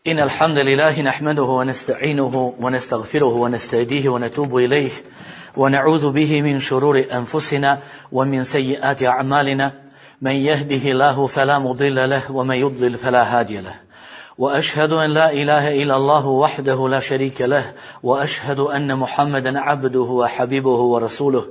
إن الحمد لله نحمده ونستعينه ونستغفره ونستهديه ونتوب إليه ونعوذ به من شرور أنفسنا ومن سيئات أعمالنا من يهده الله فلا مضل له ومن يضلل فلا هادي له وأشهد أن لا إله إلا الله وحده لا شريك له وأشهد أن محمدا عبده وحبيبه ورسوله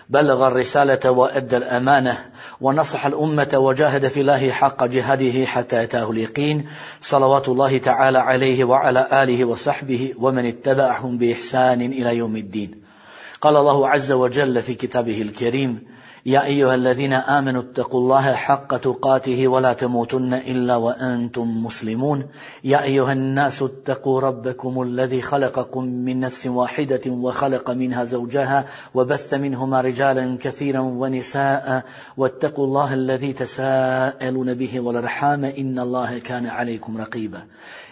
بلغ الرسالة وأدى الأمانة ونصح الأمة وجاهد في الله حق جهاده حتى أتاه اليقين صلوات الله تعالى عليه وعلى آله وصحبه ومن اتبعهم بإحسان إلى يوم الدين. قال الله عز وجل في كتابه الكريم: يا أيها الذين آمنوا اتقوا الله حق تقاته ولا تموتن إلا وأنتم مسلمون. يا أيها الناس اتقوا ربكم الذي خلقكم من نفس واحدة وخلق منها زوجها وبث منهما رجالا كثيرا ونساء واتقوا الله الذي تساءلون به والأرحام إن الله كان عليكم رقيبا.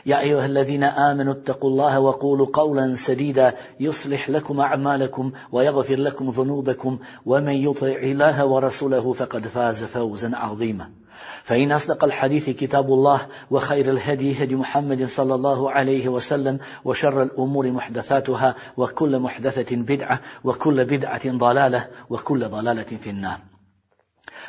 يا أيها الذين آمنوا اتقوا الله وقولوا قولا سديدا يصلح لكم أعمالكم ويغفر لكم ذنوبكم ومن يطع الله ورسوله فقد فاز فوزا عظيما. فإن أصدق الحديث كتاب الله وخير الهدي هدي محمد صلى الله عليه وسلم وشر الأمور محدثاتها وكل محدثة بدعة وكل بدعة ضلالة وكل ضلالة في النار.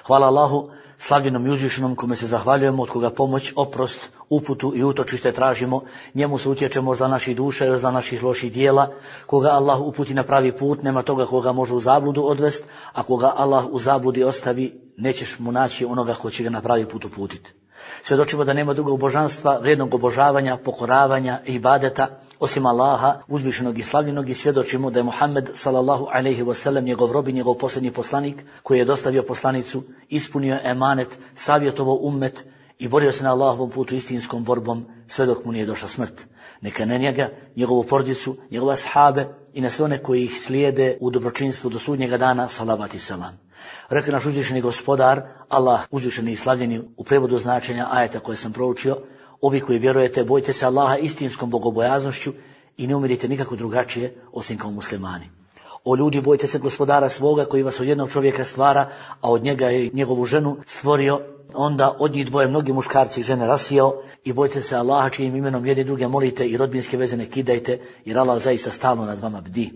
Hvala Allahu, slavljenom i uzvišenom, kome se zahvaljujemo, od koga pomoć, oprost, uputu i utočište tražimo. Njemu se utječemo za naših duša i za naših loših dijela. Koga Allah uputi na pravi put, nema toga koga može u zabludu odvest, a koga Allah u zabludi ostavi, nećeš mu naći onoga ko će ga na pravi put uputiti. Svjedočimo da nema drugog božanstva, vrijednog obožavanja, pokoravanja i ibadeta osim Allaha, uzvišenog i slavljenog, i svjedočimo da je Muhammed sallallahu alejhi ve sellem njegov rob i njegov posljednji poslanik, koji je dostavio poslanicu, ispunio emanet, savjetovao ummet i borio se na Allahovom putu istinskom borbom sve dok mu nije došla smrt. Neka na njega, njegovu porodicu, njegove ashabe i na sve one koji ih slijede u dobročinstvu do sudnjega dana, salavat i selam. Rekao naš uzvišeni gospodar, Allah uzvišeni i slavljeni, u prevodu značenja ajeta koje sam proučio: ovi koji vjerujete, bojte se Allaha istinskom bogobojaznošću i ne umirite nikako drugačije osim kao muslimani. O ljudi, bojte se gospodara svoga koji vas od jednog čovjeka stvara, a od njega je njegovu ženu stvorio, onda od njih dvoje mnogi muškarci i žene rasijao, i bojte se Allaha čijim imenom jedni druge molite i rodbinske veze ne kidajte, jer Allah zaista stalno nad vama bdi.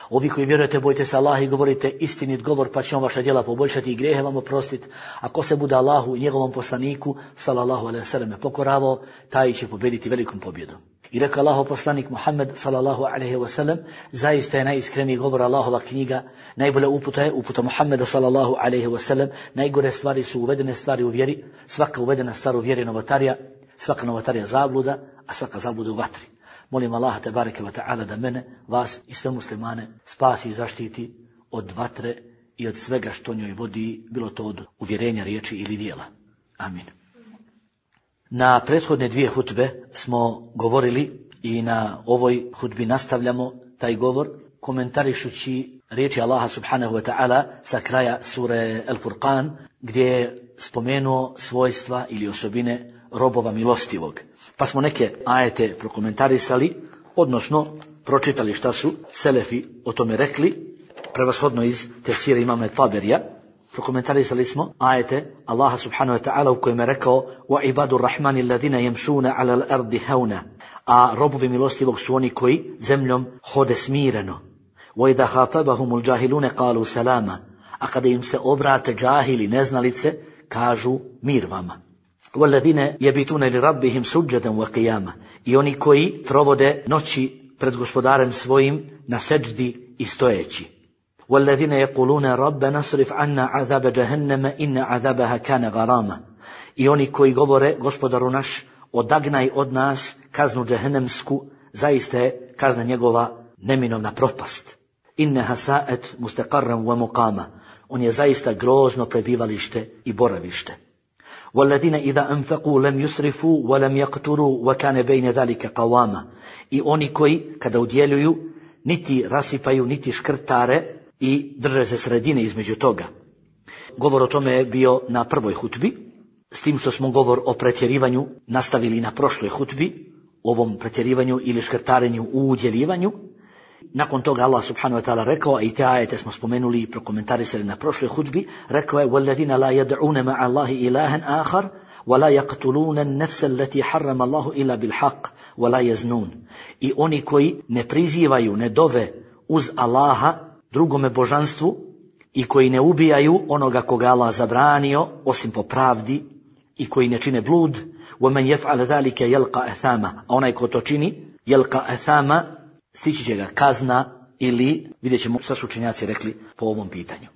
Ovi koji vjerujete, bojte se Allaha i govorite istinit govor, pa će on vaša djela poboljšati i grijehe vam oprostiti. Ako se bude Allahu i njegovom poslaniku sallallahu alejhi ve selleme pokoravao, taj će pobjediti velikom pobjedom. I rekao Allahov poslanik Muhammed sallallahu alejhi ve sellem: zaista je najiskreniji govor Allahova knjiga, najbolja uputa je uputa Muhammeda sallallahu alejhi ve sellem, najgore stvari su uvedene stvari u vjeri, svaka uvedena stvar u vjeri novotarija, svaka novotarija zabluda, a svaka zabluda u vatri. Molim Allaha tebareke ve ta'ala da mene, vas i sve muslimane spasi i zaštiti od vatre i od svega što njoj vodi, bilo to od uvjerenja, riječi ili djela. Amin. Na prethodne dvije hutbe smo govorili i na ovoj hutbi nastavljamo taj govor komentarišući riječi Allaha subhanahu wa ta'ala sa kraja sure Al-Furqan, gdje je spomenuo svojstva ili osobine robova milostivog. Pa smo neke ajete prokomentarisali, odnosno pročitali šta su selefi o tome rekli, prevashodno iz tefsira imama Taberija. Prokomentarisali smo ajete Allaha subhanahu wa ta'ala u kojem je rekao: wa ibadur rahmani alladhina yamshuna ala al-ardi hauna, a robovi milostivog su oni koji zemljom hode smireno. Wa idha khatabahumul jahiluna qalu salama, a kada im se obrate džahili, neznalice, kažu mir vama. وَالَّذِينَ يَبِتُونَ لِرَبِّهِمْ سُجَّدًا وَقِيَامًا, i oni koji provode noći pred gospodarem svojim na seđdi i stojeći. وَالَّذِينَ يَقُولُونَ رَبَّنَا اصْرِفْ عَنَّا عَذَابَ جَهَنَّمَ إِنَّ عَذَابَهَا كَانَ غَرَامًا, i oni koji govore: gospodaru naš, odagnaj od nas kaznu džehennemsku, zaista je kazna njegova neminovna propast. إِنَّهَا سَاءَتْ مُسْتَقَرًّا وَمُقَامًا, on je zaista grozno prebivalište i boravište. وَالَّذِينَ إِذَا أَنفَقُوا لَمْ يُسْرِفُوا وَلَمْ يَقْتُرُوا وَكَانَ بَيْنَ ذَلِكَ قَوَامًا, i oni koji kada udjeljuju niti rasipaju niti škrtare i drže se sredine između toga. Govor o tome je bio na prvoj hutbi, s tim što smo govor o pretjerivanju nastavili na prošloj hutbi, ovom pretjerivanju ili škrtarenju u udjeljivanju. Nakon toga Allah subhanahu wa ta'ala rekao, a i te ajete smo spomenuli i prokomentarisali na prošloj hudbi, rekao je: وَالَّذِينَ لَا يَدْعُونَ مَعَ اللَّهِ إِلَهًا آخَرَ وَلَا يَقْتُلُونَ النَّفْسَ الَّتِي حَرَّمَ اللَّهُ إِلَّا بِالْحَقِّ وَلَا يَزْنُونَ. I oni koji ne prizivaju, ne dove uz Allaha drugome božanstvu i koji ne ubijaju onoga koga Allah zabranio osim po pravdi i koji ne čine blud, وَمَنْ يَفْعَلَ ذَلِكَ يَلْقَ أَثَامًا. A onaj ko to čini, يَلْقَ أَثَامًا, stići će ga kazna ili, vidjet ćemo šta su učenjaci rekli po ovom pitanju.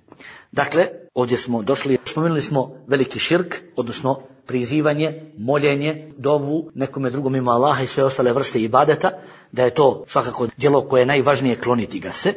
Dakle, ovdje smo došli, spomenuli smo veliki širk, odnosno prizivanje, moljenje, dovu nekome drugom mimo Allaha i sve ostale vrste ibadeta, da je to svakako djelo koje je najvažnije, kloniti ga se.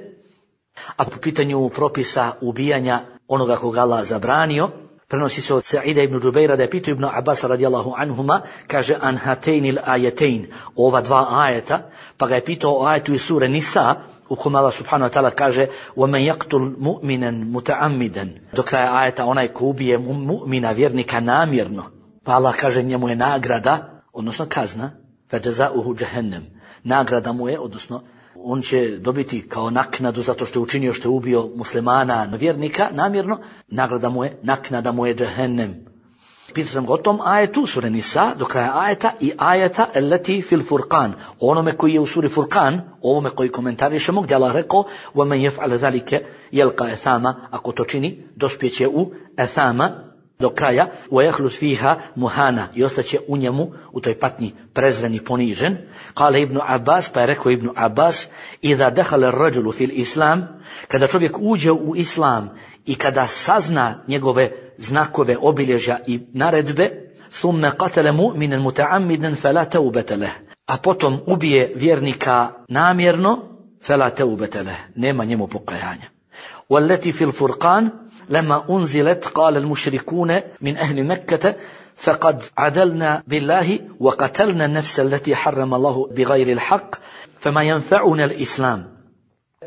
A po pitanju propisa ubijanja onoga koga Allah zabranio, prenosi se od Sa'ida ibn Džubeira da je pitao Ibn Abbas radijallahu anhuma, kaže an hatejnil ajetein, ova dva ajeta, pa ga je pitao o ajetu iz sure Nisa, u kome Allah subhanahu wa ta'ala kaže وَمَنْ يَقْتُلْ مُؤْمِنًا مُتَعَمِّدًا, do kraja ajeta onaj ko ubije mu'mina, vjernika, namjerno, pa Allah kaže njemu je nagrada, odnosno kazna, فَجَزَاؤُهُ جَهَنَّمْ, nagrada mu je, odnosno on će dobiti kao naknadu zato što je učinio, što je ubio muslimana, vjernika, namjerno, naknada mu je Jahannam. Pitao sam ga o tom ajetu, sure Nisa, do kraja ajeta, i ajeta allati fil Furqan, onome koji je u suri Furqan, ovome koji komentarišemo, gdje Allah rekao وَمَنْ يَفْعَلَ ذَلِكَ يَلْقَ أَثَامًا, ako to čini, dospjeće u Athama, do kraja, وَيَخْلُدْ فِيهَا مُهَانًا, i ostaće u njemu, u toj patnji, prezren i ponižen. Kale Ibn Abbas, pa je rekao Ibn Abbas, إِذَا دَخَلَ الرَّجُلُ فِي الْإِسْلَامِ, kada čovjek uđe u Islam i kada sazna njegove znakove, obilježja i naredbe, ثُمَّ قَتَلَ مُؤْمِنًا مُتَعَمِّدًا فَلَا تَوْبَةَ لَهُ, a potom ubije vjernika namjerno, فَلَا تَوْبَةَ لَهُ, nema njemu pokajanja. وَالَّتِي فِي الْفُرْقَانِ لما أنزلت قال المشركون من أهل مكة فقد عدلنا بالله وقتلنا النفس التي حرم الله بغير الحق فما ينفعنا الإسلام.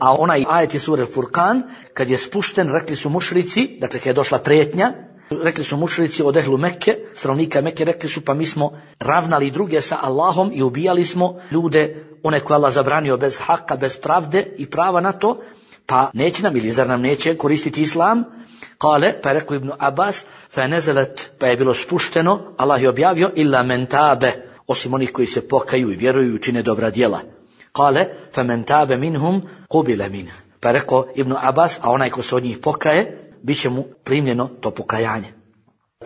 A onaj ajeti sure Furqan, kad je spušten, rekli su mušrici, dakle kad je došla prijetnja, rekli su mušrici od ehlu Mekke, stanovnika Mekke, rekli su pa mi smo ravnali druge sa Allahom i ubijali smo ljude, one koje Allah zabranio bez haka, bez pravde i prava na to, pa neće nam, ili zar nam neće koristiti Islam? Kale, pa je rekao Ibn Abbas, fa nezelet, pa je bilo spušteno, Allah je objavio, illa men tabe, osim onih koji se pokaju i vjeruju i čine dobra djela. Kale, fa men tabe minhum qubila min, pa je rekao Ibn Abbas, a onaj ko se od njih pokaje, bit će mu primljeno to pokajanje.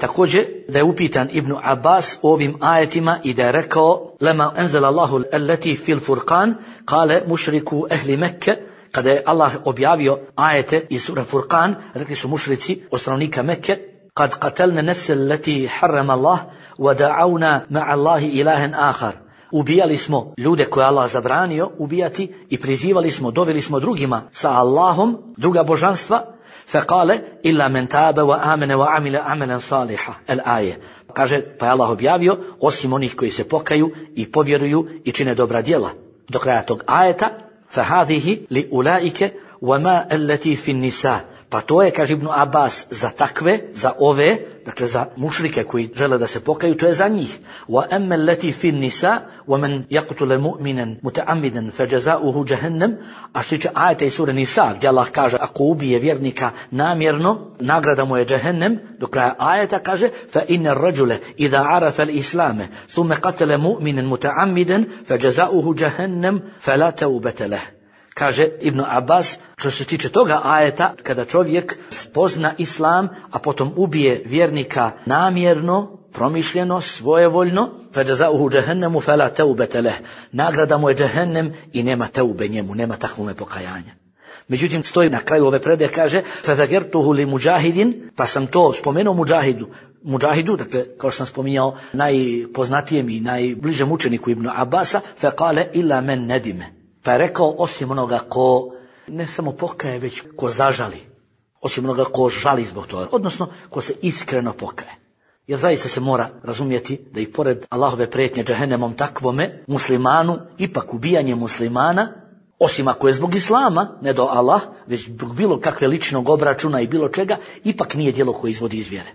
Također da je upitan Ibn Abbas ovim ajetima i da je rekao lema enzela Allahu allati fil Furqan, kale mušriku ehli Mekke, kada je Allah objavio ajete iz sura Furqan, rekli su mušrici od stanovnika Mekke, kad qatelna nafsa allati harrama Allah wa da'awna ma'a Allahi ilahan akhar, ubijali smo ljude koje Allah zabranio ubijati i prizivali smo, doveli smo drugima sa Allahom, druga božanstva, faqale illa man taba wa amana wa amila amalan salihan, al-aje. Kaže, pa je Allah objavio, osim onih koji se pokaju i povjeruju i čine dobra djela. Do kraja tog ajeta, فَهَذِهِ لِأُولَئِكَ وَمَا الَّتِي فِي النِّسَاءِ, pa to je, kaže Ibn Abbas, za takve, za ove, dakle za mušrike koji žele da se pokaju, to je za njih. وَأَمَّا الَّتِي فِي النِّسَاءِ وَمَنْ يَقْتُلَ مُؤْمِنًا مُتَعَمِّدًا فَجَزَاؤُهُ جَهَنَّمْ, a što tiče ajeta iz sure Nisa, gdje Allah kaže, ako ubije vjernika namjerno, nagrada mu je Jahannam, do kraja ajeta kaže, فَإِنَّ الرَّجُلَ إِذَا عَرَفَ الْإِسْلَامَ ثُمَّ قَتَلَ مُؤْمِنًا مُتَعَمِّدًا فَجَزَاؤُهُ جَهَنَّمْ فَلَا تَوْبَةَ لَهُ. Kaže Ibn Abbas, što se tiče toga ajeta, kada čovjek spozna Islam, a potom ubije vjernika namjerno, promišljeno, svojevoljno, فَجَزَاؤُهُ جَهَنَّمُ فَلَا تَوْبَةَ لَهُ, nagrada mu je Jahannam i nema teube njemu, nema takvome pokajanja. Međutim, stoji na kraju ove predaje, kaže فَذَكَرْتُهُ لِمُجَاهِدٍ, pa sam to spomenuo Muđahidu, dakle, kao što sam spominjao, najpoznatijem i najbližem učeniku Ibn Abbasa, فَقَالَ إِلَّا مَنْ نَدِمَ, pa je rekao, osim onoga ko ne samo pokaje, već ko zažali. Osim onoga ko žali zbog toga. Odnosno, ko se iskreno pokaje. Jer zaista se mora razumjeti da i pored Allahove prijetnje Jahannamom takvome muslimanu, ipak ubijanje muslimana, osim ako je zbog Islama, ne do Allah, već zbog bilo kakve ličnog obračuna i bilo čega, ipak nije djelo koje izvodi iz vjere.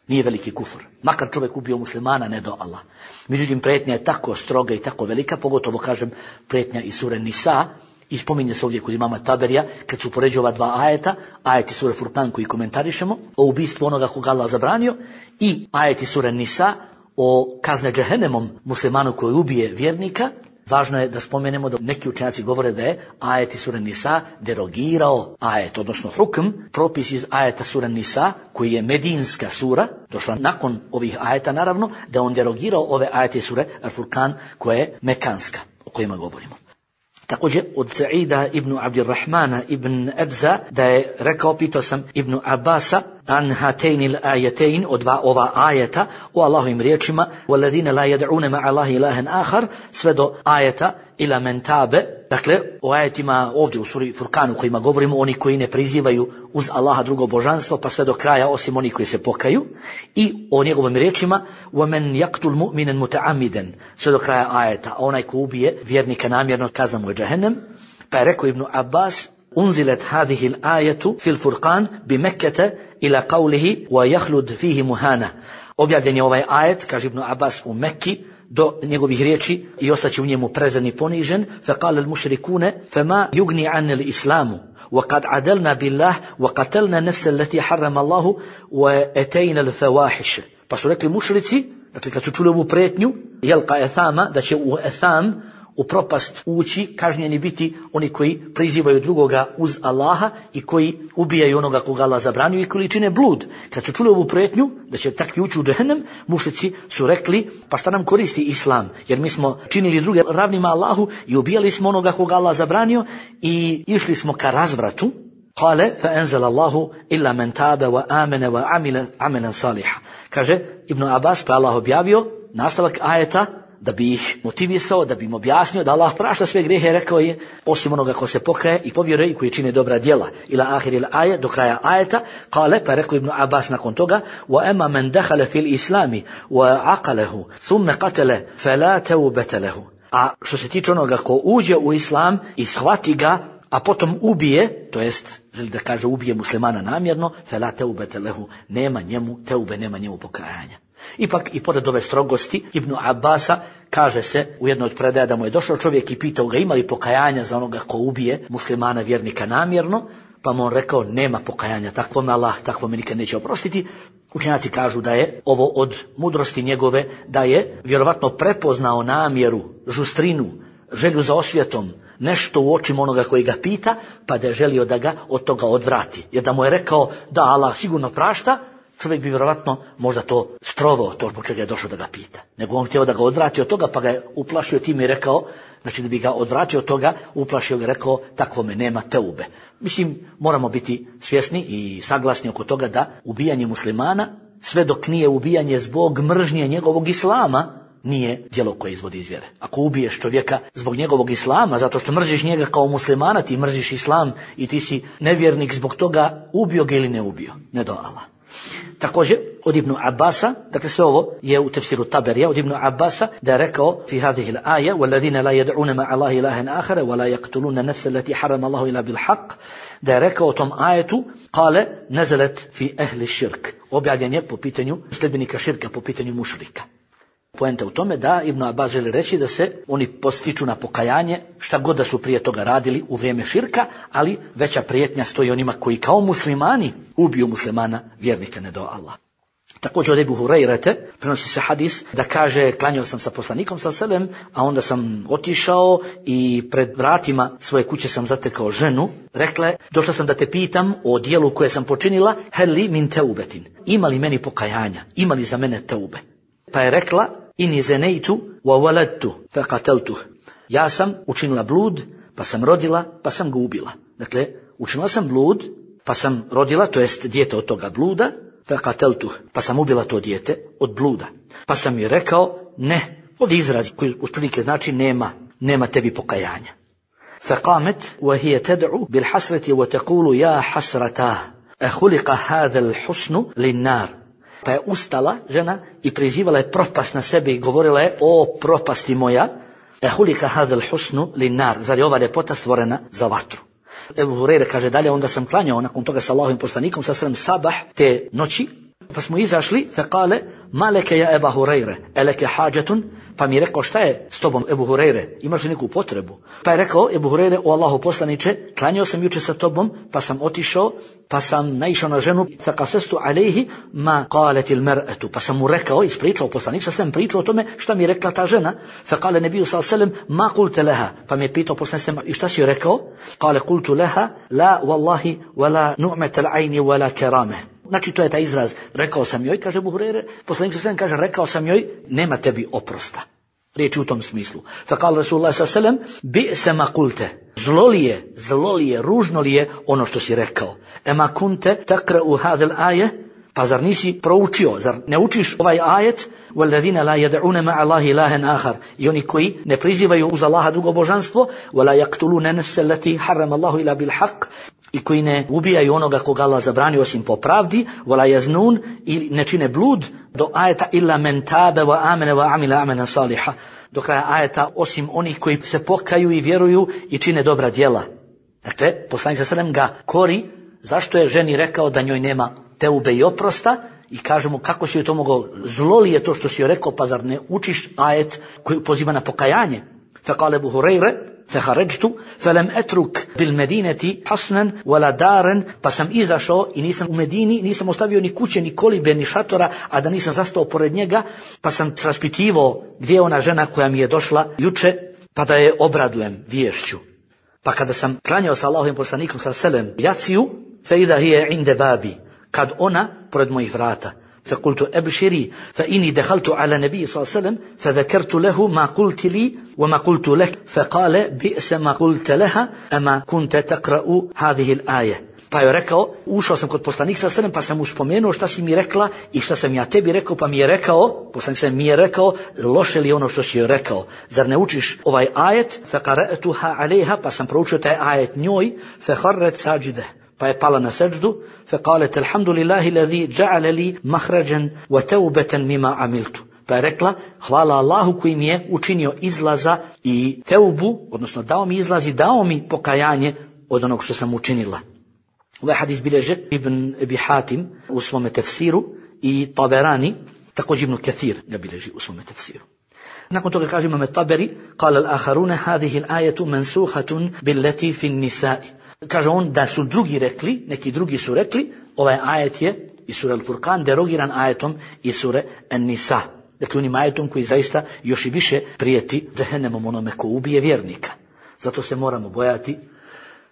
Nije veliki kufr. Makar čovjek ubio muslimana, ne do Allah. Međutim, prijetnja je tako stroga i tako velika, pogotovo, kažem, prijetnja iz sure Nisa, I spominje se ovdje kod imama Taberija, kad su upoređuju ova dva ajeta, ajeti sure Furqan koji komentarišemo, o ubistvu onoga koga Allah zabranio, i ajeti sure Nisa o kazne džehennemom muslimanu koji ubije vjernika. Važno je da spomenemo da neki učenjaci govore da je ajeti sure Nisa derogirao ajet, odnosno hukm, propis iz ajeta sure Nisa, koji je medinska sura, došla nakon ovih ajeta naravno, da on derogirao ove ajete sure Al-Furqan koja je mekanska, o kojima govorimo. Također od Sa'ida ibn Abdirrahmana ibn Ebza da je rekao, pitao sam Ibn Abbasa an hatejnil ajetein, od dva ova ajeta o Allahovim riječima, وَالَّذِينَ لَا يَدْعُونَ مَعَ اللَّهِ إِلَهًا آخَرَ, sve do ajeta ila men tabe. Dakle, o ajetima ovdje u suri Furqanu kojima govorimo, oni koji ne prizivaju uz Allaha drugo božanstvo, pa sve do kraja osim oni koji se pokaju, i o njegovim riječima وَمَنْ يَقْتُلْ مُؤْمِنًا مُتَعَمِّدًا, sve do kraja ajeta, onaj ko ubije vjernika namjerno, kazna mu je džehennem. Pa je rekao Ibn Abbas, unzilet hadihi l-ajetu fil Furqan bi Mekkete ila qavlihi wa jahlud fihi muhana. Objavljen je ovaj ajet, kaže Ibn Abbas, u Mekki do njegovih riječi i ostaće u njemu prezren i ponižen. Faqala al-mushrikune fama yugni an al-islamu وقد عدلنا بالله وقتلنا نفس التي حرم الله واتينا الفواحش. Pa su rekli mušrici, dakle kad su čuli ovu pretnju, jelka ethama, da će u etham, u propast ući, kažnjeni biti oni koji prizivaju drugoga uz Allaha i koji ubijaju onoga koga Allah zabranio i koji čine blud. Kad su čuli ovu prijetnju da će takvi ući u džehennem, mušrici su rekli, pa šta nam koristi islam, jer mi smo činili druge ravnima Allahu i ubijali smo onoga koga Allah zabranio i išli smo ka razvratu. Kale fa enzal Allahu illa men tabe wa amene wa amile amelen saliha. Kaže Ibn Abbas, pa Allah objavio nastavak ajeta da bi ih motivisao, da bi im objasnio da Allah prašta sve grijehe, rekao je, osim onoga ko se pokaje i povjeruje i koji čine dobra djela. Ila ahir il aje, do kraja ajeta. Kale, pa je rekao Ibn Abbas nakon toga, wa ema men dehale fil islami wa aqalehu thumme qatele fela teubete lehu. A što se tiče onoga ko uđe u islam i shvati ga, a potom ubije, to jest želi da kaže ubije muslimana namjerno, fela teubete lehu, nema njemu teube, nema njemu pokajanja. Ipak i pored ove strogosti Ibn Abbasa kaže se u jednoj od predaja da mu je došao čovjek i pitao ga ima li pokajanja za onoga ko ubije muslimana vjernika namjerno, pa mu on rekao nema pokajanja, takvo me Allah, takvo me nikad neće oprostiti. Učenjaci kažu da je ovo od mudrosti njegove, da je vjerovatno prepoznao namjeru, žustrinu, želju za osvjetom, nešto u očima onoga koji ga pita, pa da je želio da ga od toga odvrati. Jer da mu je rekao da Allah sigurno prašta, čovjek bi vjerovatno možda to strovao, to zbog čega je došao da ga pita. Nego on htio da ga odvrati od toga, pa ga je uplašio tim i rekao, znači da bi ga odvratio od toga, uplašio ga, rekao, takvo me nema teube. Mislim, moramo biti svjesni i saglasni oko toga da ubijanje muslimana, sve dok nije ubijanje zbog mržnje njegovog islama, nije djelo koje izvodi iz vjere. Ako ubiješ čovjeka zbog njegovog islama, zato što mrziš njega kao muslimana, ti mrziš islam i ti si nevjernik zbog toga, ubio ga ili ne ubio, ne do Allah. Također od Ibn Abbasa, dakle sve ovo je u tefsiru Taberija, od Ibn Abbasa da je rekao fi hadhihi al-aja وَالَّذِينَ لَا يَدْعُونَ مَعَ اللَّهِ إِلَهًا آخَرَ وَلَا يَقْتُلُونَ نَفْسَ الَّتِي حَرَمَ اللَّهُ إِلَّا بِالْحَقِّ, da je rekao o tom ajetu, kale nazalet fi ehli širk, objavljen je po pitanju sljedbenika širka, po pitanju mušrika. Poenta u tome da Ibn Abbas želi reći da se oni postiču na pokajanje šta god da su prije toga radili u vrijeme širka, ali veća prijetnja stoji onima koji kao muslimani ubiju muslimana vjernika ne do Allah. Također od Ebu Hurajrete prenosi se hadis da kaže, klanjao sam sa poslanikom s.a.v. a onda sam otišao i pred vratima svoje kuće sam zatekao ženu. Rekla je, došla sam da te pitam o dijelu koje sam počinila, hel li min teubetin, ima li meni pokajanja, ima li za mene teube. Pa je rekla, inni zenejtu wa waladtu fa qateltuh, ja sam učinila blud, pa sam rodila, pa sam ga ubila. Dakle, učinila sam blud, pa sam rodila, to jest dijete od toga bluda, fa qateltuh, pa sam ubila to dijete od bluda. Pa sam mi rekao, ne, ovdje izraz koji usprilike znači nema tebi pokajanja. Fa qamet wa hiya tad'u bil hasrati wa taqulu ya hasrata khuliqa hadha al husnu lin nar. Pa je ustala žena i prizivala je propast na sebe i govorila je, o propasti moja, ehulika hadal husnu linar, zar je ova ljepota stvorena za vatru. Ebu Hurajra kaže dalje, onda sam klanjao nakon toga sa Allahovim poslanikom sa sabah te noći, Pa smo izašli, fekale, maleke ja Eba Hureyre, eleke hađetun, pa mi je rekao, šta je s tobom, Ebu Hureyre, imaš li neku potrebu? Pa je rekao, Ebu Hureyre, o Allahu poslaniče, klanjao sam juče sa tobom, pa sam otišao, pa sam naišao na ženu, fakasestu alejhi ma qaletil mer'atu, pa sam mu rekao, ispričao poslanik, sam pričao o tome šta mi je rekla ta žena, fekale nebiju sallam, ma kulte leha, pa mi je pitao poslanik, i šta si joj rekao? Kale kultu leha, la wallahi, wala nu'metel ajni, wala kerame. Znači to je taj izraz, rekao sam joj, kaže Ebu Hureyre, poslanik sallam kaže, rekao sam joj, nema tebi oprosta. Riječi u tom smislu. Fakal Rasulullah sallam, bi se ma kulte, zlo li je, ružno li je ono što si rekao. Ema kunte takra u hadel aje, pa zar nisi proučio, zar ne učiš ovaj ajet, وَالَّذِينَ لَا يَدْعُونَ مَعَ اللَّهِ إِلَٰهًا آخَرَ, i oni koji ne prizivaju uz Allaha drugo božanstvo, وَلَا يَقْتُلُونَ نَفْسَ الَّتِي حَرَّمَ اللَّهُ إِلَّا بِالْحَقِّ, i koji ne ubijaju onoga koga Allah zabranio osim po pravdi, وَلَا يَزْنُونَ, i ne čine blud, do ajeta إِلَّا مَنْ تَابَ وَآمَنَ وَعَمِلَ عَمَلًا صَالِحًا, do kraja ajeta, osim onih koji se pokaju i vjeruju i čine dobra djela. Dakle, poslanik sallallahu alejhi ve sellem ga kori, zašto je ženi rekao da njoj nema teube i oprosta, i kaže mu, kako si joj to mogao, zlo li je to što si joj rekao, pa zar ne učiš ajet koji poziva na pokajanje? Fekale Ebu Hureyre, fehaređtu, felem etruk bil medineti hasnan wala daren, pa sam izašao i nisam u Medini, nisam ostavio ni kuće, ni kolibe, ni šatora, a da nisam zastao pored njega, pa sam raspitivao gdje je ona žena koja mi je došla juče, pa da je obradujem viješću. Pa kada sam klanjao sa Allahovim poslanikom sallam jaciju, fe idha hiya inde babi, kad ona pored mojih vrata. فقلت أبشري فإني دخلت على النبي صلى الله عليه وسلم فذكرت له ما قلت لي وما قلت لك فقال بئس ما قلت لها أما كنت تقرأ هذه الآية. Pa je rekao, ušao sam kod poslanika sallallahu alejhi ve sellem, pa sam mu spomenuo šta si mi rekla i šta sam ja tebi rekao, pa mi je rekao, poslanik sallallahu mi je rekao, loše li ono što si joj rekao, zar ne učiš ovaj ajet? Faqara'tuha alejha, pa sam proučio taj ajet njoj, fakharrat sajide, pa je pala na seđdu, faqalet alhamdulillahi alladhi ja'ala li makhrajan wa tawbatan mimma amiltu. Pa je rekla, hvala Allahu koji mi je učinio izlaza i teubu, odnosno dao mi izlaz i dao mi pokajanje od onog što sam učinila. Ovaj hadis bilježe Ibn Abi Hatim u svome tefsiru i Taberani, također Ibn Kathir ga bilježi u svome tefsiru. Nakon toga kaže imam Taberi, قال الآخرون هذه الآية منسوخة بالتي في النساء. Kaže on da su drugi rekli, neki drugi su rekli, ovaj ajet je iz sure Al-Furqan derogiran ajetom iz sure An-Nisa. Dakle, onim ajetom koji zaista još i više prijeti džehennemom onome ko ubije vjernika. Zato se moramo bojati.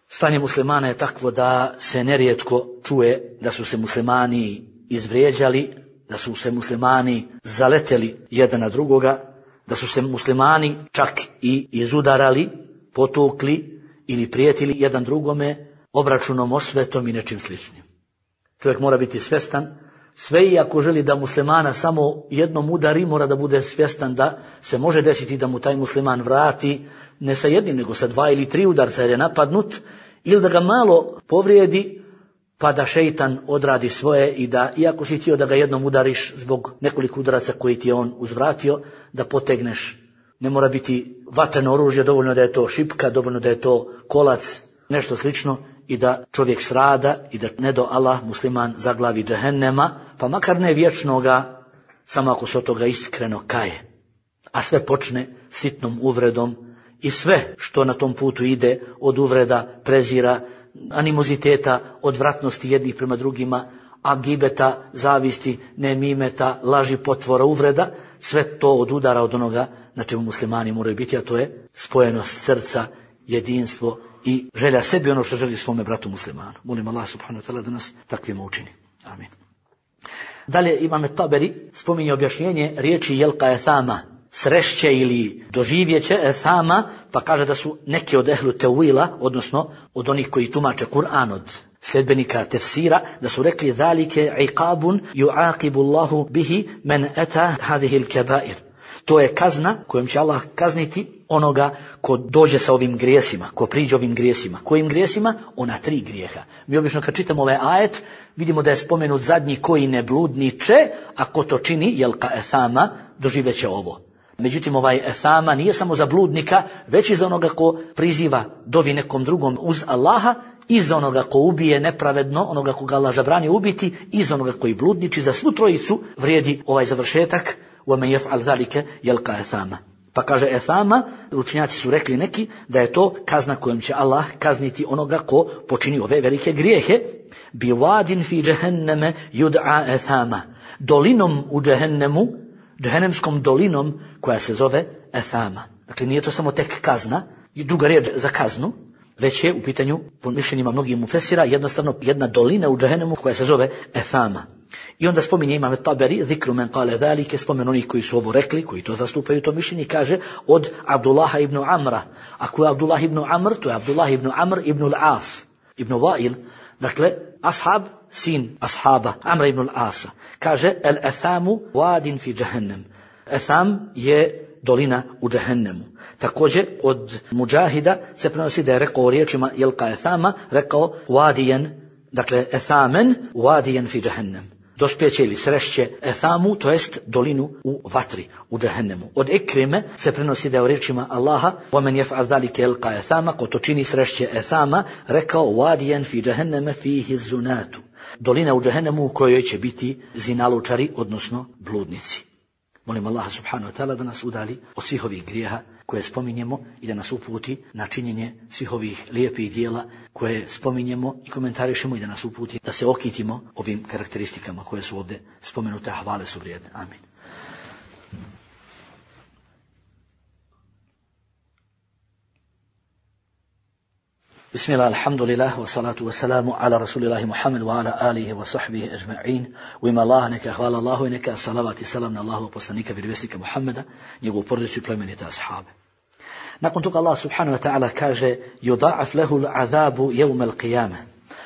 Stanje muslimana je takvo da se nerijetko čuje da su se muslimani izvrijeđali, da su se muslimani zaleteli jedan na drugoga, da su se muslimani čak i izudarali, potukli ili prijetili jedan drugome obračunom, osvetom i nečim sličnim. Čovjek mora biti svjestan, sve i ako želi da muslimana samo jednom udari, mora da bude svjestan da se može desiti da mu taj musliman vrati ne sa jednim, nego sa 2 ili 3 udarca jer je napadnut, ili da ga malo povrijedi, pa da šeitan odradi svoje i da, iako si htio da ga jednom udariš zbog nekoliko udaraca koji ti je on uzvratio, da potegneš. Ne mora biti vatreno oružje, dovoljno da je to šipka, dovoljno da je to kolac, nešto slično, i da čovjek strada i da ne do Allah musliman zaglavi džehennema, pa makar ne vječnoga, samo ako se od toga iskreno kaje. A sve počne sitnom uvredom i sve što na tom putu ide od uvreda, prezira, animoziteta, odvratnosti jednih prema drugima, a gibeta, zavisti, nemimeta, laži, potvora, uvreda, sve to odudara od onoga na čemu muslimani moraju biti, a to je spojenost srca, jedinstvo i želja sebi ono što želi svome bratu muslimanu. Molim Allah subhanahu wa ta'ala da nas takvima učini. Amin. Dalje imam Taberi spominje objašnjenje riječi jelka ethama, srešće ili doživjeće ethama, pa kaže da su neki od ehlu tevila, odnosno od onih koji tumače Kur'an, od sljedbenika tefsira, da su rekli zalike iqabun yu'aqibu Allahu bihi man ata hadhihi al-kaba'ir. To je kazna kojom će Allah kazniti onoga ko dođe sa ovim grijesima, ko priđe ovim grijesima. Kojim grijesima? Ona 3 grijeha. Mi obično kad čitamo ovaj ajet, vidimo da je spomenut zadnji koji ne bludniče, a ko to čini, jelka ethama, doživeće ovo. Međutim, ovaj ethama nije samo za bludnika, već i za onoga ko priziva dovi nekom drugom uz Allaha i za onoga ko ubije nepravedno, onoga koga Allah zabranio ubiti, i za onoga koji bludniči. Za svu trojicu vrijedi ovaj završetak وَمَنْ يَفْعَلْ ذَلِكَ يَلْقَى أَثَامًا. Pa kaže Ethama, učenjaci su rekli neki da je to kazna kojom će Allah kazniti onoga ko počini ove velike grijehe. Biwadin fi jahannama yud'a Ethama. Dolinom u džehennemu, džehennemskom dolinom koja se zove Ethama. Dakle, nije to samo tek kazna, i druga riječ za kaznu, već je u pitanju, po mišljenjima mnogih mufesira, jednostavno jedna dolina u džehennemu koja se zove Ethama. I onda spominje Imam Taberi, zikru men kale zalike, spomen onih koji su ovo rekli, koji to zastupaju to mišljenje, kaže od Abdullaha ibn Amra. Ako je Abdullah ibn Amr, to je Abdullah ibn Amr ibn al-As, ibn Wa'il, dakle, ashab, sin ashaba, Amra ibn al-Asa. Kaže, el-Ethamu wadin fi jahannam. Etham je dolina u džehennemu. Također od Mujahida se prenosi da je rekao riječima Jelka Ethama, rekao wadijen, dakle Ethamen wadijen fi jahannam. Dospjeće ili srešće Ethamu, to jest dolinu u vatri, u džehennemu. Od Ikrime se prenosi da je u riječima Allaha وَمَنْ يَفْعَلْ ذَلِكَ يَلْقَى Ethama, ko to čini srešće Ethama, rekao wadijen fi jahannam fihi zunatu. Dolina u džehennemu u kojoj će biti zinalučari, odnosno bludnici. Molim Allaha subhanahu wa ta'ala da nas udali od svih ovih grijeha koje spominjemo i da nas uputi na činjenje svih ovih lijepih dijela koje spominjemo i komentarišemo, i da nas uputi da se okitimo ovim karakteristikama koje su ovdje spomenute, a hvale su vrijedne. Amin. Bismillah, alhamdulillah, wa salatu wa salamu ala rasulillahi Muhammed wa ala alihi wa sahbihi ajma'in. U ime Allaha neka hvala Allahu i neka salavat i salam na Allahu poslanika vjerovjesnika Muhammeda, njegovu porodicu i plemenite ashabe. Nakon toga Allah subhanahu wa ta'ala kaže yudha'af lahu al'azabu yawm al-qiyamah.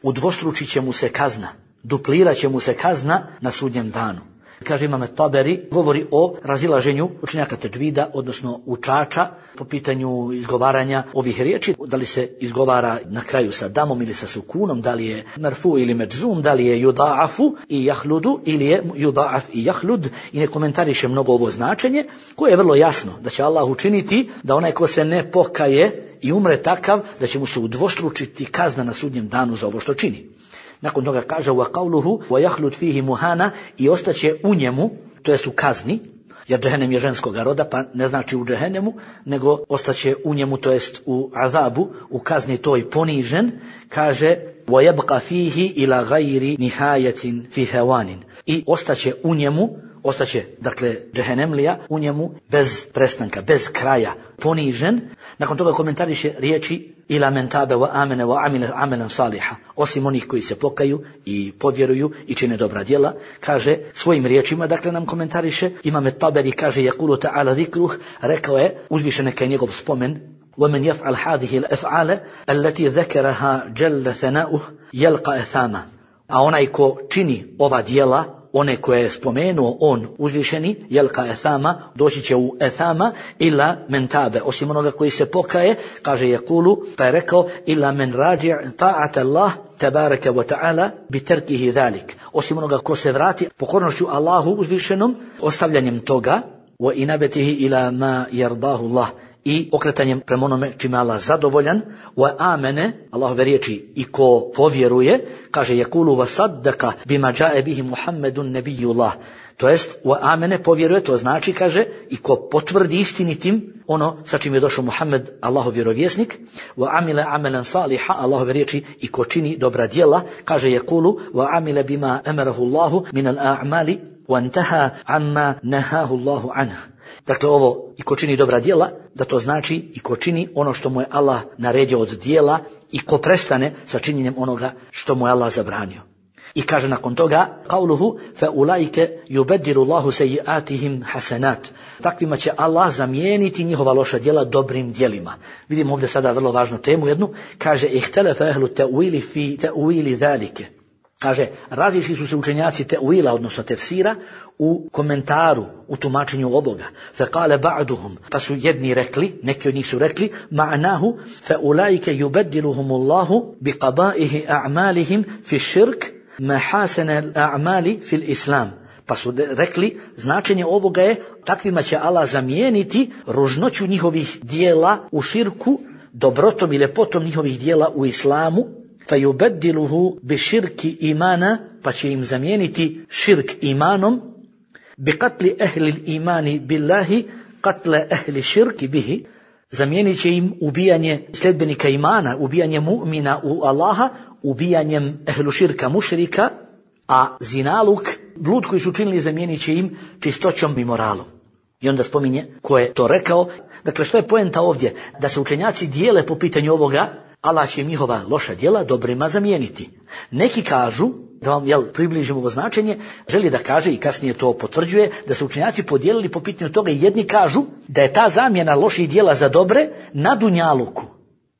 Udvostručit će mu se kazna, duplirat će mu se kazna na sudnjem danu. Kaže Imam Taberi, govori o razilaženju učenjaka tedžvida, odnosno učača, po pitanju izgovaranja ovih riječi, da li se izgovara na kraju sa damom ili sa sukunom, da li je marfu ili medzum, da li je yuda'afu i jahludu ili je yuda'af i jahlud, i ne komentariše mnogo ovo značenje, koje je vrlo jasno, da će Allah učiniti da onaj ko se ne pokaje i umre takav, da će mu se udvostručiti kazna na sudnjem danu za ovo što čini. Nakon toga kaže wa qawluhu wa yahlud fihi muhana, i ostaće u njemu, to jest u kazni, jer džehennem je ženskoga roda, pa ne znači u džehennemu, nego ostaće u njemu, to jest u azabu, u kazni toj ponižen. Kaže wa yabqa fihi ila ghayri nihayatin fi hawanin, i ostaće u njemu, ostaće, dakle, džehennemlija u njemu bez prestanka, bez kraja, ponižen. Nakon toga komentariše riječi ila men tabe wa amene wa amile amelan saliha, osim onih koji se pokaju i povjeruju i čine dobra djela, kaže svojim riječima, dakle nam komentariše. Imam Taberi kaže yaqulu ta'ala zikruh, rekao je uzvišen neka je njegov spomen, وَمَنْ يَفْعَلْ هَذِهِ الْأَفْعَالَ الَّتِي ذَكَرَهَا جَلَّ ثَنَاؤُهُ يَلْقَى أَثَامًا. A onaj ko čini ova djela, one koje je spomenuo on uzvišeni, jelka Ethama, doći će u Ethama, ila men tabe, osim onoga koji se pokaje, kaže Jakulu, pa je rekao, ila men rađi' ta'at Allah, tabaraka wa ta'ala, bi terkihi dhalik, osim onoga ko se vrati pokornošću Allahu uzvišenom, ostavljanjem toga, wa inabetihi ila ma yardahu Allah, i okretanjem prema onome čime Allah zadovoljan, wa amene, Allahove riječi, i ko povjeruje, kaže Jakulu wa saddaka bima jae bihi Muhammedun nebijullah, to jest wa amene, povjeruje, to znači, kaže, i ko potvrdi istinitim ono sa čim je došao Muhammed, Allahov vjerovjesnik, wa amile amelan saliha, Allahove riječi, i ko čini dobra djela, kaže Jakulu wa amile bima emerahu Allahu min al-a'mali wa intaha amma nahahu Allahu anhu. Dakle, ovo i ko čini dobra djela, da to znači i ko čini ono što mu je Allah naredio od djela i ko prestane sa činjenjem onoga što mu je Allah zabranio. I kaže nakon toga, qauluhu fa ulaike yubaddilu Allahu sayyi'atihim hasanat. Takvima će Allah zamijeniti njihova loša djela dobrim djelima. Vidimo ovdje sada vrlo važnu temu jednu, kaže ihtalafa ahlu ta'wili fi ta'wili zalike. Kaže, razišli su se učenjaci te'uila, odnosno tefsira, u komentaru, u tumačenju ovoga. Fekale ba'duhum, pa su jedni rekli, neki od njih su rekli, ma'nahu, fe ulaike yubaddiluhumullahu bi qabaihi a'malihim fi širk, mahasene a'mali fil islam. Pa su rekli, značenje ovoga je, takvima će Allah zamijeniti ružnoću njihovih dijela u širku, dobrotom i ljepotom njihovih dijela u islamu, fayubaddiluhu bi širki imana, pa će im zamijeniti širk imanom, bi qatli ahli imani billahi qatle ahli širki bihi, zamijenit će im ubijanje sljedbenika imana, ubijanje mu'mina u Allaha, ubijanjem ehlu širka mušrika, a zinaluk, blud koji su učinili, zamijenit će im čistoćom i moralom. I onda spominje ko je to rekao. Dakle, što je poenta ovdje? Da se učenjaci dijele po pitanju ovoga, Allah će im njihova loša djela dobrima zamijeniti. Neki kažu, da vam približimo ovo značenje, želi da kaže i kasnije to potvrđuje, da se učenjaci podijelili po pitanju toga i jedni kažu da je ta zamjena loših djela za dobre na dunjaluku,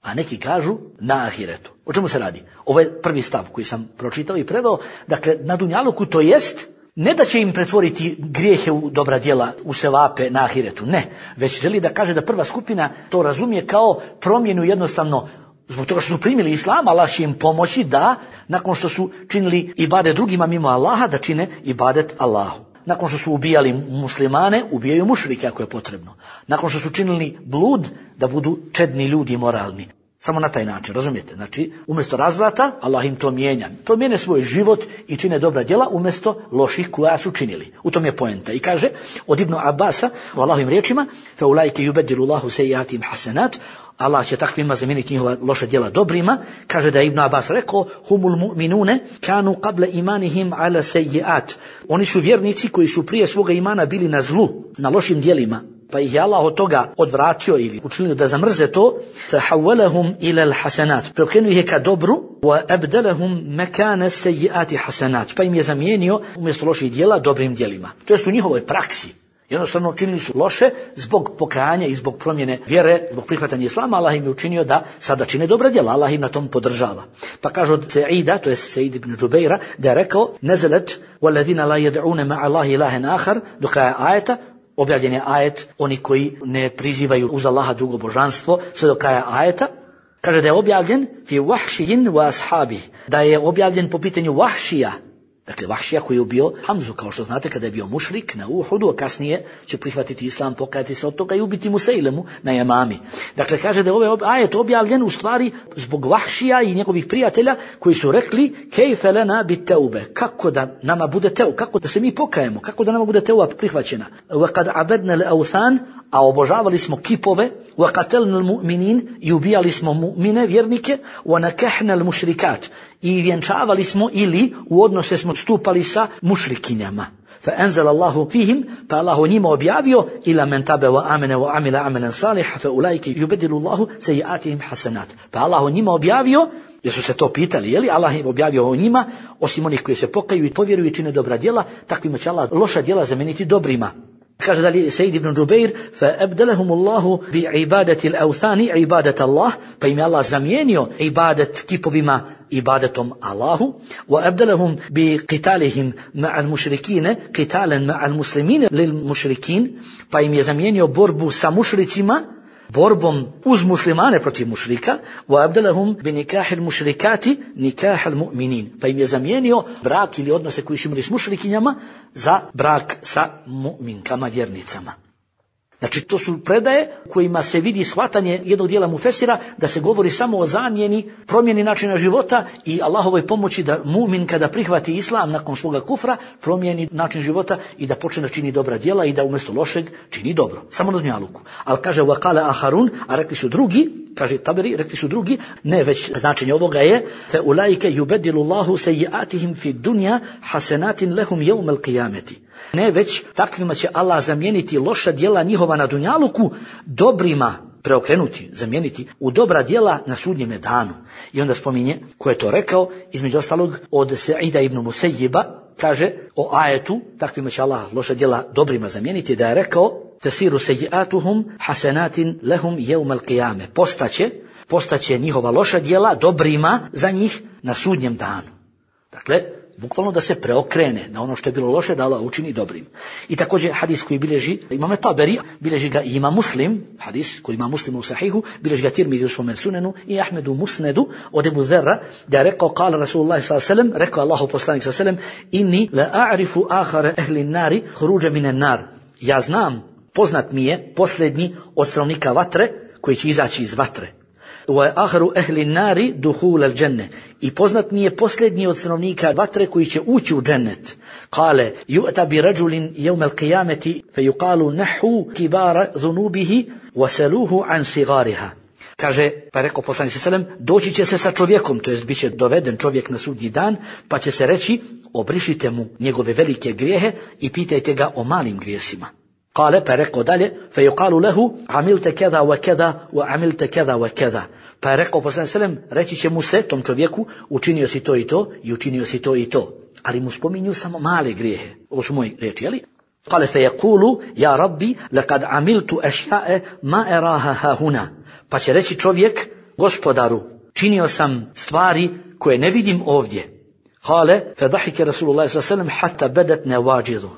a neki kažu na ahiretu. O čemu se radi? Ovo je prvi stav koji sam pročitao i preveo. Dakle, na dunjaluku to jest ne da će im pretvoriti grijehe u dobra djela, u sevape na ahiretu, ne. Već želi da kaže da prva skupina to razumije kao promjenu jednostavno. Zbog toga što su primili islam, Allah će im pomoći da, nakon što su činili ibadet drugima mimo Allaha, da čine ibadet Allahu. Nakon što su ubijali muslimane, ubijaju mušrike ako je potrebno. Nakon što su činili blud, da budu čedni ljudi moralni. Samo na taj način, razumijete? Znači, umjesto razvrata, Allah im to mijenja. Promijene svoj život i čine dobra djela umjesto loših koja su činili. U tom je poenta. I kaže od Ibnu Abasa, u Allahovim riječima, فَأُولَٰئِكَ يُبَدِّلُ اللَّهُ سَيِّئَاتِهِمْ حَسَنَاتٍ, Allah će takvima zamijeniti njihova loša djela dobrima. Kaže da je Ibn Abbas rekao, humul mu'minune kanu qabla imanihim ala sayyi'at. Oni su vjernici koji su prije svoga imana bili na zlu, na lošim djelima. Pa ih je Allah od toga odvratio ili učinio da zamrze to. فَحَوَّلَهُمْ إِلَى الْحَسَنَاتِ, preokrenuo ih je ka dobru. وَأَبْدَلَهُمْ مَكَانَ السَّيِّئَاتِ حَسَنَاتِ, pa im je zamijenio umjesto loših djela dobrim djelima. To jest u njihovoj praksi. Jednostavno učinili su loše zbog pokajanja i zbog promjene vjere, zbog prihvatanja islama. Allah im je učinio da sada čine dobra djela. Allah im na tom podržava. Pa kaže od Sa'ida, to je Sa'id ibn Džubeira, da je rekao nezelet وَالَّذِينَ لَا يَدْعُونَ مَعَ اللَّهِ إِلَٰهًا آخَرَ, do kraja ajeta. Objavljen je ajet, oni koji ne prizivaju uz Allaha drugo božanstvo, sve do kraja ajeta. Kaže da je objavljen fi wahšiyin wa ashabi, da je objavljen po pitanju Vahšija. Dakle, Vahšija koji je ubio Hamzu, kao što znate, kada je bio mušrik na Uhudu, a kasnije će prihvatiti islam, pokajati se od toga i ubiti Musailemu na Jamami. Dakle, kaže da je ovaj ajet objavljen u stvari zbog Vahšija i njegovih prijatelja koji su rekli kejfe lena bit teube, kako da nama bude teu, kako da se mi pokajemo, kako da nama bude teuba prihvaćena. Wa kad abadna al-awthan, a obožavali smo kipove, wa qatalna al-mu'minin, i ubijali smo mu'mine, vjernike, wa nakahna al-mušrikat, i vjenčavali smo ili u odnose smo stupali sa mušrikinjama. فأنزل الله فيهم, pa Allah o njima objavio ila men tabe wa amene wa amila amalan saliha fa ulaike yubadilu Allahu sayiatihim hasanat. Pa Allah o njima objavio, jer su se to pitali, je li Allah je objavio o njima, osim onih koji se pokaju i povjeruju i čine dobra djela, takvima će Allah loša djela zameniti dobrima. Kaže dalje Sejid ibn Džubeir, فَأَبْدَلَهُمُ اللَّهُ بِعِبَادَةِ الْأَوْثَانِ عِبَادَةَ اللَّهِ, pa im je Allah zamijenio ibadet kipovima ibadetom Allahu. وَأَبْدَلَهُمْ بِقِتَالِهِمْ مَعَ الْمُشْرِكِينَ قِتَالًا مَعَ الْمُسْلِمِينَ لِلْمُشْرِكِينَ, pa im je zamijenio borbu sa mušricima borbom uz muslimane protiv mušrika. وَأَبْدَلَهُمْ بِنِكَاحِ الْمُشْرِكَاتِ نِكَاحَ الْمُؤْمِنِينَ, pa im je zamijenio brak ili odnose koji su imali s mušrikinjama za brak sa mu'minkama, vjernicama. Znači, to su predaje kojima se vidi shvatanje jednog dijela mufesira da se govori samo o zamjeni, promjeni načina života i Allahovoj pomoći da mu'min kada prihvati islam nakon svoga kufra promijeni način života i da počne da čini dobra djela i da umjesto lošeg čini dobro. Samo na dunjaluku. Ali kaže وَقَالَ أَحَرُونَ, a rekli su drugi, kaže Taberi, rekli su drugi, ne, već značenje ovoga je فَأُولَٰئِكَ يُبَدِّلُ اللَّهُ سَيِّئَاتِهِمْ فِي الدُّنْيَا حَسَنَاتٍ لَهُمْ يَوْمَ الْقِيَامَةِ. Ne, već takvima će Allah zamijeniti loša djela njihova na dunjaluku dobrima, preokrenuti, zamijeniti u dobra djela na sudnjem danu. I onda spominje ko je to rekao, između ostalog od Sa'ida ibn Musayyiba, kaže o ajetu, takvima će Allah loša djela dobrima zamijeniti, da je rekao tasiru sayyi'atuhum hasanatin lahum yawm al-qiyame, postaće njihova loša djela dobrima za njih na sudnjem danu. Dakle, bukvalno da se preokrene na ono što je bilo loše, da Allah učini dobrim. I također hadis koji bilježi Imam Taberi, bilježi ga i Imam Muslim, hadis koji ima Muslim u Sahihu, bilježi ga Tirmidhi u svome Sunenu i Ahmedu u Musnedu od Ebu Zerra, da je rekao, kala Rasulullah s.a.v., rekao Allahu poslanik s.a.v., inni la a'rifu ahara ehli nari huruđa mine nar. Ja znam, poznat mi je posljednji od stanovnika vatre koji će izaći iz vatre. Wa akhiru ahli nari dukhul al-jannah. I poznat mi je posljednji od stanovnika vatre koji će ući u džennet. Kale, yu'ta bi rajulin yawm al-qiyamati fayuqalu nahu kibara dhunubihi wasaluhu an sigariha. Kaže, pa je rekao poslanik sallallahu alejhi ve sellem, doći će se sa čovjekom, to jest biće doveden čovjek na sudnji dan, pa će se reći, obrišite mu njegove velike grijehe i pitajte ga o malim grijesima. Kale, pa je rekao dalje, fayuqalu lahu amilta kaza wa kaza wa amilta kaza wa kaza. Pa je rekao poslanik sallallahu alejhi ve sellem, reći će mu se tom čovjeku, učinio si to i to i učinio si to i to. Ali mu spominju samo male grijehe. Ovo su moje riječi, jeli? Kale fayaqulu ya rabbi laqad amiltu ashya'a ma araha ha huna. Pa će reći čovjek, gospodaru, činio sam stvari koje ne vidim ovdje. Kale fadahika Rasulullah sallallahu alejhi ve sellem hatta badat nawajidu.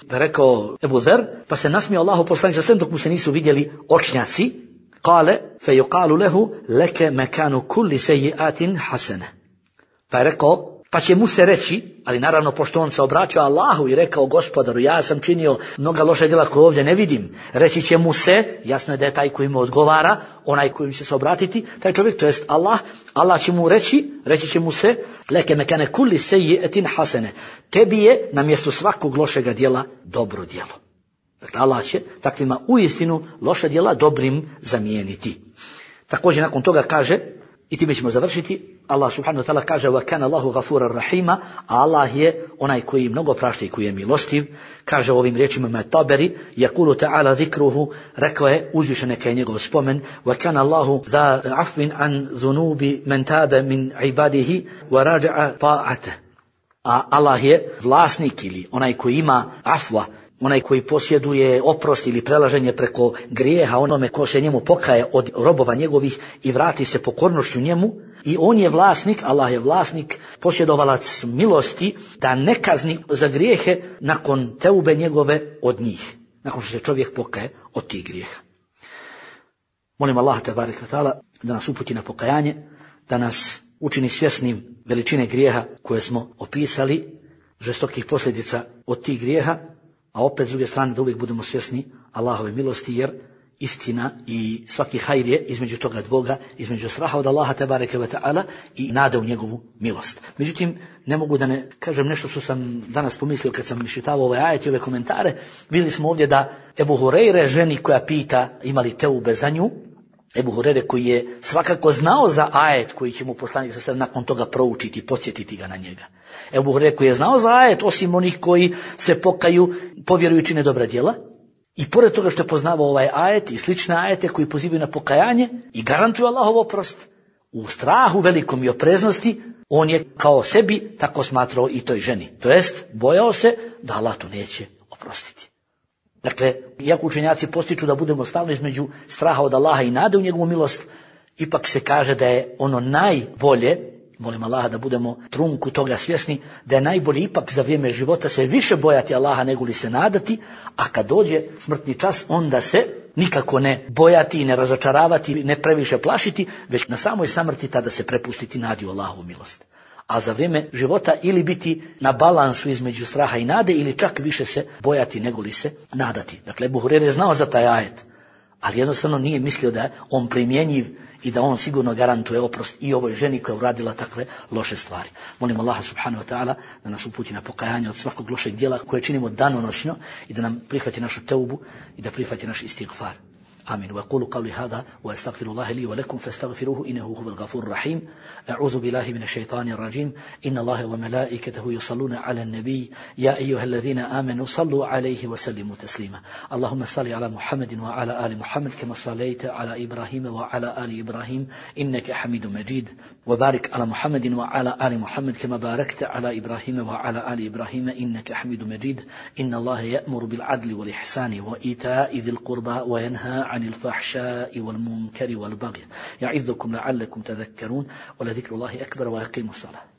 Pa rekao Ebu Zer, pa se nasmijao Allahu poslanik sallallahu alejhi ve sellem dok mu se nisu vidjeli očnjaci. Kale fayuqalu lahu laka makanu kulli sayyi'atin hasana. Pa je rekao, pa će mu se reći, ali naravno pošto on se obratio Allahu i rekao, gospodaru, ja sam činio mnoga loša djela koje ovdje ne vidim, reći će mu se, jasno je da je taj koji mu odgovara, onaj koji će se obratiti, taj čovjek, to jest Allah će mu reći će mu se, leke mekane kulli sayyi'atin hasane, tebi je na mjestu svakog lošega djela dobro djelo. Dakle, Allah će takvima uistinu loša djela dobrim zamijeniti. Također nakon toga kaže, i time ćemo završiti, Allah subhanahu wa ta'ala kaže wa kana Allahu ghafurar rahima, a Allah je onaj koji mnogo prašta i koji je milostiv. Kaže ovim riječima Taberi, yaqulu ta'ala zikruhu, rekao je uzvišen neka je njegov spomen, wa kana Allahu za afwin an zunubi man taba min ibadihi wa raja'a ta'ata. A Allah je vlasnik ili onaj koji ima afwa, onaj koji posjeduje oprost ili prelaženje preko grijeha onome ko se njemu pokaje od robova njegovih i vrati se pokornošću njemu. I on je vlasnik, Allah je vlasnik, posjedovalac milosti da ne kazni za grijehe nakon teube njegove od njih. Nakon što se čovjek pokaje od tih grijeha. Molim Allah tebareke ve taala da nas uputi na pokajanje, da nas učini svjesnim veličine grijeha koje smo opisali, žestokih posljedica od tih grijeha, a opet s druge strane da uvijek budemo svjesni Allahove milosti, jer istina i svaki hajr je između toga dvoga, između straha od Allaha tebareke ve taala i nade u njegovu milost. Međutim, ne mogu da ne kažem nešto što sam danas pomislio kad sam iščitavao ove ajete i ove komentare. Vidjeli smo ovdje da Ebu Hureyre, ženi koja pita ima li teube za nju, Ebu Hureyre koji je svakako znao za ajet koji će mu poslanik se nakon toga proučiti i podsjetiti ga na njega. Ebu Hureyre koji je znao za ajet, osim onih koji se pokaju, povjeruju i čine dobra djela, i pored toga što je poznavao ovaj ajet i slične ajete koji pozivaju na pokajanje i garantuju Allahov oprost, u strahu velikom i opreznosti, on je kao sebi tako smatrao i toj ženi. To jest, bojao se da Allah to neće oprostiti. Dakle, iako učenjaci postiču da budemo stalno između straha od Allaha i nade u njegovu milost, ipak se kaže da je ono najbolje, molim Allaha da budemo trunku toga svjesni, da je najbolje ipak za vrijeme života se više bojati Allaha nego li se nadati, a kad dođe smrtni čas onda se nikako ne bojati i ne razočaravati, ne previše plašiti, već na samoj samrti tada se prepustiti nadi u Allahovu milost. A za vrijeme života ili biti na balansu između straha i nade ili čak više se bojati nego li se nadati. Dakle, Ebu Hureyre je znao za taj ajet, ali jednostavno nije mislio da je on primjenjiv i da on sigurno garantuje oprost i ovoj ženi koja je uradila takve loše stvari. Molim Allaha subhanahu wa ta'ala da nas uputi na pokajanje od svakog lošeg djela koje činimo danonoćno i da nam prihvati našu teubu i da prihvati naš istighfar. آمين. وأقول قولي هذا وأستغفر الله لي ولكم فاستغفروه إنه هو الغفور الرحيم. أعوذ بالله من الشيطان الرجيم. إن الله وملائكته يصلون على النبي يا أيها الذين آمنوا صلوا عليه وسلموا تسليما. اللهم صل على محمد وعلى آل محمد كما صليت على إبراهيم وعلى آل إبراهيم إنك حميد مجيد. وبارك على محمد وعلى آل محمد كما باركت على إبراهيم وعلى آل إبراهيم إنك حميد مجيد. إن الله يأمر بالعدل والإحسان وإيتاء ذي القربى وينهى عن الفحشاء والمنكر والبغي يعظكم لعلكم تذكرون ولذكر الله أكبر وأقيموا الصلاة.